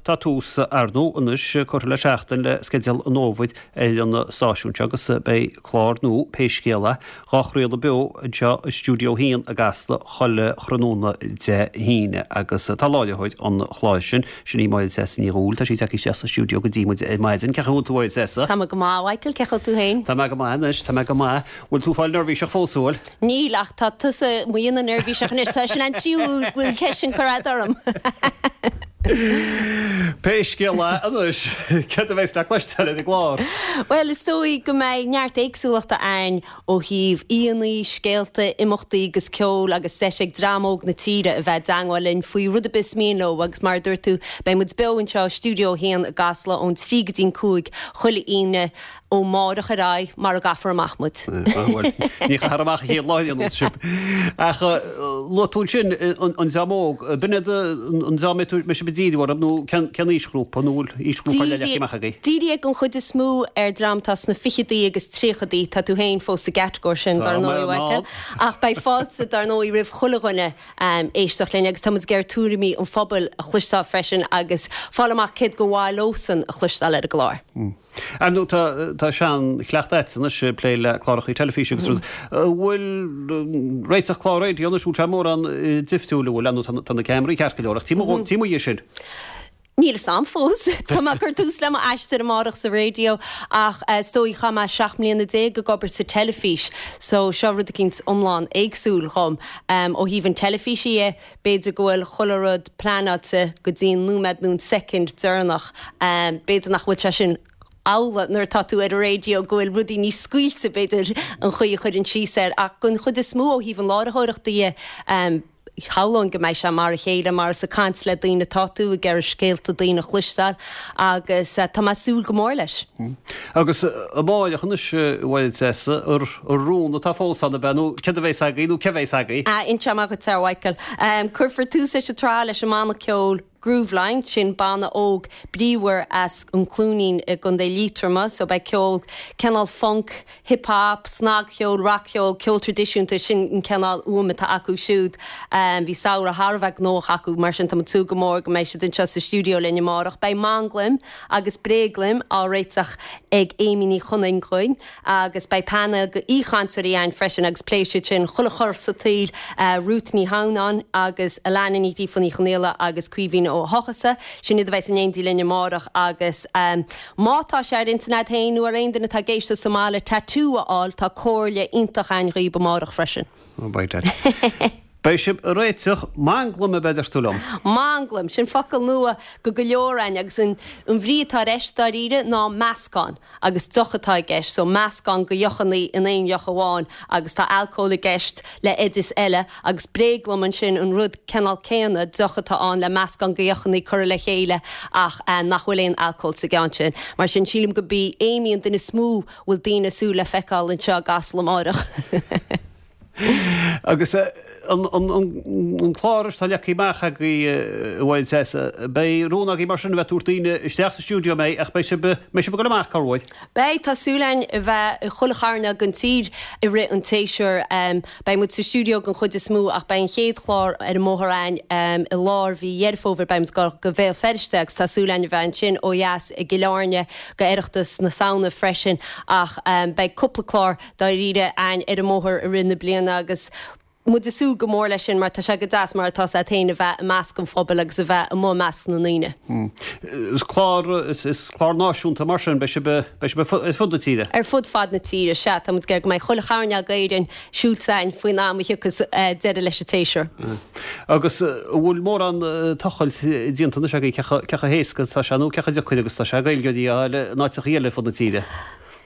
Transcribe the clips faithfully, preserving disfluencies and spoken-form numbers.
Tá tús ar ndóigh anois curtha le seachtain le sceideal an fhómhair ar an stáisiún seo agus beidh clár nua Pé Scéal É á chraoladh beo anseo i Stiúideo a haon i gCasla chuile thráthnóna Dé hAoine agus tá láithreoir an chláir sin, sin í Máire Treasa Ní Dhubhghaill, tá sí tagtha isteach sa stiúideo go dtí muid ar maidin. Cén chaoi a bhfuil tú a Mháire Treasa? Tá mé go maith, Michael, cén chaoi a bhfuil tú féin? Tá mé go maith anois, tá mé go maith. Bhfuil tú fáil neirbhíseach fós bhfuil? Níl ach tá tusa mo dhéanamh neirbhíseach anois, tá sin an tríú bhfuil ceist sin curtha agat orm. Pé scéal é anois, céard a bheas le cloisteáil ar an gclár? Bhuel, is dóigh go mbeidh neart éagsúlachta ann ó thaobh aíonna, scéalta, imeachtaí agus ceol agus deis ag dream óg na tíre a bheith i dteangmháil linn faoi rud ar bith is mian leo agus mar a dúirt tú, beidh muid beo anseo i Stiúideo a haon i gCasla ón trí go dtí'n cúig chuile Aoine ó mháireach ar aghaidh mara gcaithfear amach muid. Bhuel, ní chaithfear amach an chéad lá a dhéanann sibh. Ach luaigh tú ansin an dream óg, b'in iad an dream a mbeidh sibh ag díriú orthu nó cén aoisghrúpa nó bhfuil aoisghrúpa eile leagtha amach agaibh? Díríodh an chuid is mó ar dream atá sna ficheadaí agus tríochadaí, tá tú féin fós sa gcatagóir sin dar ndóigh, a Mhichael. Ach beidh fáilte dar ndóigh roimh chuile dhuine éisteacht linn agus tá muid ag iarraidh tuairimí an phobail a chloisteáil freisin agus fáil amach céard gur mhaith leosan a chloisteáil ar an gclár. Ar ndóigh tá tá seanchleachtadh agat anois ag plé le cláracha teilifíse agus rud. An bhfuil réiteach clár raidió anois, bhfuil sé mórán difriúil, an bhfuil? Ar ndóigh tá na ceamaraí ceart go leor ach tím tím uaidh sin. Níl a fhios a'm fós. Tá mé ag cur tús le m'aistear amárach sa raidió ach is dóigh chaith mé seacht mbliana déag ag obair sa teilifís so seo rud eicínt iomlán éagsúil dhom. Ó thaobh an teilifíse dhe, b'fhéidir go bhfuil chuile rud pleanáilte go dtí an nóiméad nó an soicind deireanach. B'fhéidir nach bhfuil sé sin amhlaidh nuair atá tú ar an raidió, go bhfuil rudaí níos scaoilte b'fhéidir an chaoi a chuireann síos air ach den chuid is mó ó thaobh an láithreoireachta dhe, shamhlóinn go mbeidh sé mar a chéile mar is ag caint le daoine atá tú, ag iarraidh scéalta daoine a chloisteáil agus tá mé ag súil go mór leis. Agus amárach anois, a Mháire Treasa, an rún atá fós ann, ab ea, nó céard a bheas agaibh nó cé bheas agaibh? Inseoidh mé dhuit, a Mhichael. Cuirfear tús leis an tsraith leis an mbanna ceoil Grooveline, sin banna óg bríomhar as an Cluainín i gContae Liatroma, so beidh ceol cineál funk, hip hop, snagcheol, rac-cheol, ceol traidisiúnta, sin an cineál uaim atá acu siúd. Bhí samhradh thar a bheith gnóthach acu, mar sin tá muid ag súil go mór go mbeidh siad anseo sa stiúideo linn amárach. Beidh manglaim agus bréaglaim á réiteach ag Amy Ní Chonaing dhúinn agus beidh painéal de aoichainteoirí ann freisin agus pléifidh siad sin chuile chor sa tsaol, Ruth Ní Hamhnáin agus Alana Ní Ghríofa Ní Chonaola agus Caoimhín Ó hEochasa. Sin iad a bheas in éindí linn amárach agus má tá sé ar intinn agat féin nó ar aon duine atá ag éisteacht sa mbaile tatú a fháil, tá comhairle iontach againn dhaoib amárach freisin. Oh by dad. Beidh sibh ag réiteach manglam ab ea a deir tú liom? Manglam, sin focal nua go go leor againn agus an bhrí atá leis dáiríre ná meascán agus deoch atá i gceist, so meascán de dheochannaí in aon dheoch amháin agus tá alcól i gceist le oideas eile agus bréaglam ansin an rud cineál céanna, deoch atá ann le meascán de dheochannaí curtha le chéile ach nach bhfuil aon alcól sa gceann sin. Mar sin sílim go b'í Amy an duine is mó a bhfuil daoine ag súil le feiceáil anseo i gCasla amárach. Agus an clár atá leagtha amach agaibh, a Mháire Treasa, beidh rún agaibh mar sin a bheith ag tabhairt daoine isteach sa stiúideo, an mbeidh, ach beidh sibh, beidh sibh ag dul amach corruair? Beidh, tá súil againn a bheith i chuile chearnóg den tír i rith an tséasúir. Beidh muid sa stiúideo den chuid is mó ach beidh an chéad chlár ar an mbóthar againn i lár mhí Dheireadh Fómhair, beidh muid ag dul go Bhéal Feirste agus tá súil againn a bheith ansin ó dheas i gCill Airne go Oireachtas na Samhna freisin ach beidh cúpla clár dáiríre againn ar an mbóthar i rith na bliana agus muid ag súil go mór leis sin mar tá sé go deas mar atá 's a't féin a bheith i measc an phobail agus a bheith amuigh i measc na ndaoine. Is clár, is clár náisiúnta mar sin, beidh sibh, beidh sibh ar fud na tíre? Ar fud fad na tíre, sea. Tá muid ag iarraidh go mbeidh chuile chearnóg d'Éirinn siúlta againn faoin am a thiocfas deireadh leis an tséasúr. Agus an bhfuil mórán tochailt déanta anois agaibh cé chomh, cé chomh héasca atá sé nó cé chomh deacair agus atá sé Gaeilgeoirí a fháil in áiteachaí eile ar fud na tíre?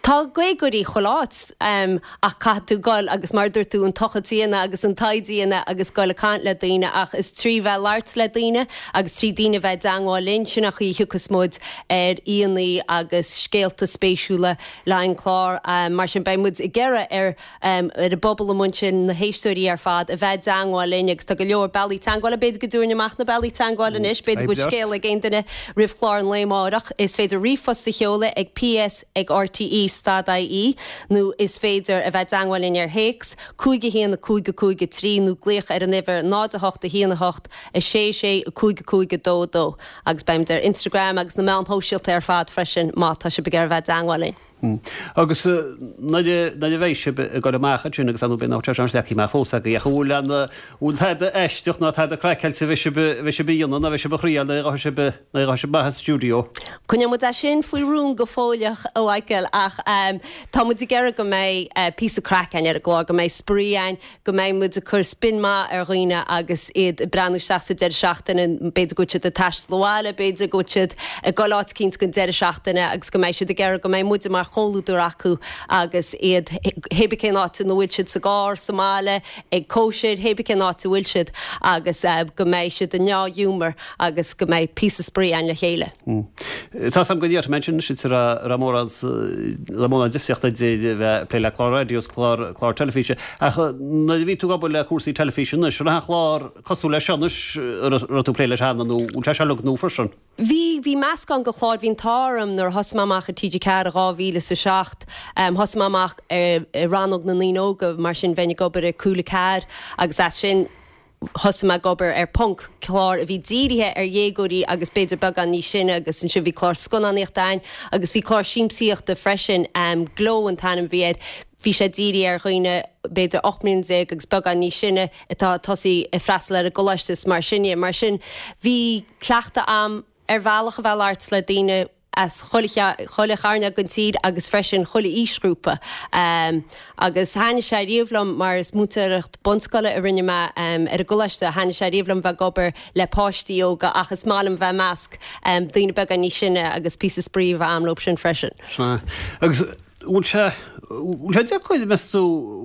Tá Gaeilgeoirí chuile áit ach caithfidh tú goil agus mar a dúirt tú an tochailt a dhéanamh agus an taighde a dhéanamh agus goil ag caint le daoine ach is trí bheith ag labhairt le daoine agus trí daoine a bheith i dteangmháil linn, sin an chaoi a thiocfas muid ar aíonna agus scéalta spéisiúla le haghaidh an clár. Mar sin beidh muid ag iarraidh ar ar an bpobal amuigh ansin, na héisteoirí ar fad, a bheith i dteangmháil linn agus tá go leor bealaí teangmhála, b'fhéidir go dtabharfainn amach na bealaí teangmhála anois, b'fhéidir go bhfuil scéal ag aon duine roimh chlár an lae amárach, is féidir ríomhphost a sheoladh ag ps ag rte stad I E nó is féidir a bheith i dteagmháil linn ar théacs cúig a haon cúig cúig trí nó glaoch ar an uimhir náid a hocht a haon a hocht a sé sé cúig cúig dó dó agus beimid ar Instagram agus na meáin shóisialta ar fad freisin má tá sibh ag iarraidh a bheith i dteagmháil linn. Hmm. Agus nuair a bheidh sibh ag dul amach ansin agus an b'in nach sé leacaí mar fós agaibh ach bhfuil an bhfuil tada aisteach ná tada craiceáilte bheidh sibh bheidh sibh a dhéanamh ná bheidh sibh a thriail nó bheidh sibh nó bheidh sibh amach as stiúideo. Coinneoidh muid é sin faoi rún go fóilleach a Mhichael ach um, tá muid ag iarraidh go mbeidh uh, píosa craic againn ar an gclár, go mbeidh spraoi againn, go mbeidh muid ag cur spin maith ar dhaoine agus iad ag breathnú isteach sa deireadh seachtaine, b'fhéidir go bhfuil siad ag taisteal abhaile, b'fhéidir go bhfuil siad ag dul áit eicínt don deireadh seachtaine agus go mbeidh siad ag iarraidh go mbeidh muide mar chomhluadar acu agus iad hé cén áit ina bhfuil siad sa gcarr sa mbaile ag cóisir hé cén áit a bhfuil siad agus uh, go mbeidh siad i ndea-ghiúmar agus go mbeidh píosa spraoi againn le chéile. Mm. Tá sam go dtíar mention sit ra mórán le difríocht idir bheith ag plé le clár raidió is clár clár teilifíse ach nuair a bhí tú ag obair le cúrsaí teilifíse anois an chlár cosúil leis seo anois raibh tú ag plé leis cheana nó bhfuil sé seo uilig nua freisin. Bhí bhí meascán de chláir bhí an t-ádh orm nuair a thosaigh mé amach i T G Ceathair dhá mhíle sa seacht um, thosaigh mé amach uh, i rannóg na ndaoine óga mar sin bheinn ag obair i Cúla Ceathair agus as sin thosaigh mé ag obair ar Ponc clár a bhí dírithe ar dhéagóirí agus b'fhéidir beagán níos sine agus ansin bhí clár scannánaíochta againn agus bhí clár siamsaíochta freisin um, Glow an t-ainm a bhí air bhí sé dírithe ar dhaoine b'fhéidir ocht mbliana déag agus beagán níos sine atá tosaí ag freastal ar an gcoláiste mar sin mar sin bhí cleachtadh agam ar bhealach a bheith labhairt le daoine as chuile chearn den tír agus freisin chuile aoisghrúpa. Um, agus thaitnigh sé riamh liom mar is múinteoireacht bunscoile a rinne mé um, ar an gcoláiste thaitnigh sé riamh liom bheith ag obair le páistí óga ach is maith liom bheith i measc um, daoine beaga níos sine agus píosa spraoi a bheith agam leo sin freisin. Agus bhfuil sé bhfuil sé deacair meas tú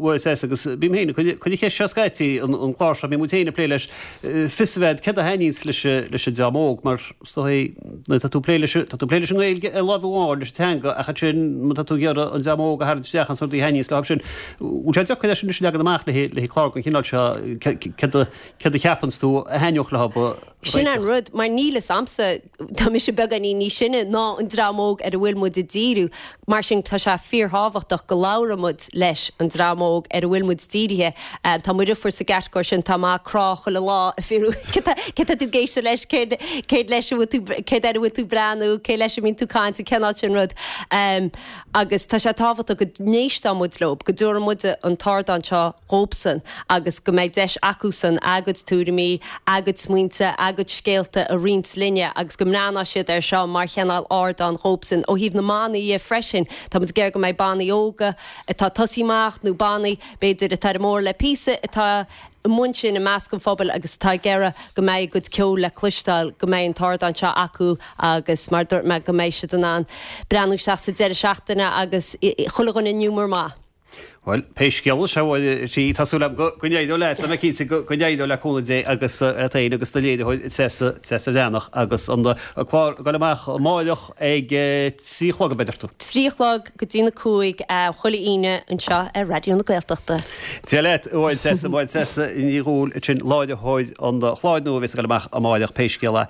agus bím féin chuid cheist seo scaití an clár seo bím féin ag plé leis fios a bheith céard a thaitníonns leis leis an dream óg mar tá tú plé leis tá tú plé leis an nGaeilge i lámh amháin leis teanga ach sin má tá tú ag iarraidh an dream óg a tharraingt isteach an sort a thaitníonns leo sin. Bhfuil sé deacair leis an leagan amach le le clár den chineál seo céard a cheapann tú a thaitneodh leo. Sin an rud mar níl fhios a'msa tá mise beagáinín níos sine ná an dream óg ar a bhfuil muid ag díriú mar sin tá sé fíorthábhachtach go labhróidh muid leis an dream óg ar a bhfuil muid dírithe uh, Tá mo dheirfiúr sa gcatagóir sin tá mé á crá chuile lá fiú cé tú ag éisteacht leis céad leis céad ar bhfuil tú breathnú cé leis a mbíonn tú ag caint cineál sin rud um, agus tá sé tábhachtach go n-éistfidh muid leo go dtabharfaidh muid an t-ardán seo dóibhsean agus go mbeidh deis acusan a gcuid tuairimí a gcuid smaointe a gcuid scéalta a roinnt linne agus go mbreathnóidh siad ar seo mar chineál ardán dóibhsean ó thaobh na mbannaí freisin Tá muid ag iarraidh go mbeidh bannaí óga atá ag tosaí amach nó bannaí b'fhéidir atá ar an mbóthar le píosa atá amuigh ansin i measc an phobail agus tá ag iarraidh go mbeidh a gcuid ceoil le cloisteáil go mbeidh an t-ardán seo acu agus mar dúirt mé go mbeidh siad in ann breathnú isteach sa deireadh seachtaine agus chuile dhuine i ngiúmar maith. Well, pé scéal sé sí tású go néidir le me cinnte go n-éireoidh le cúnamh Dé agus féin agus do léiritheoir Treasa Bhreathnach agus an clár ag dul amach amárach ag trí a chlog a deir tú. Trí a chlog go dtí na cúig chuile Aoine anseo ar Raidió na Gaeltachta. Dia leat bhuel Treasa bhuel Treasa Ní Dhubhghaill sin láithreoir an chláir nua a bheas ag dul amach amárach pé scéal é.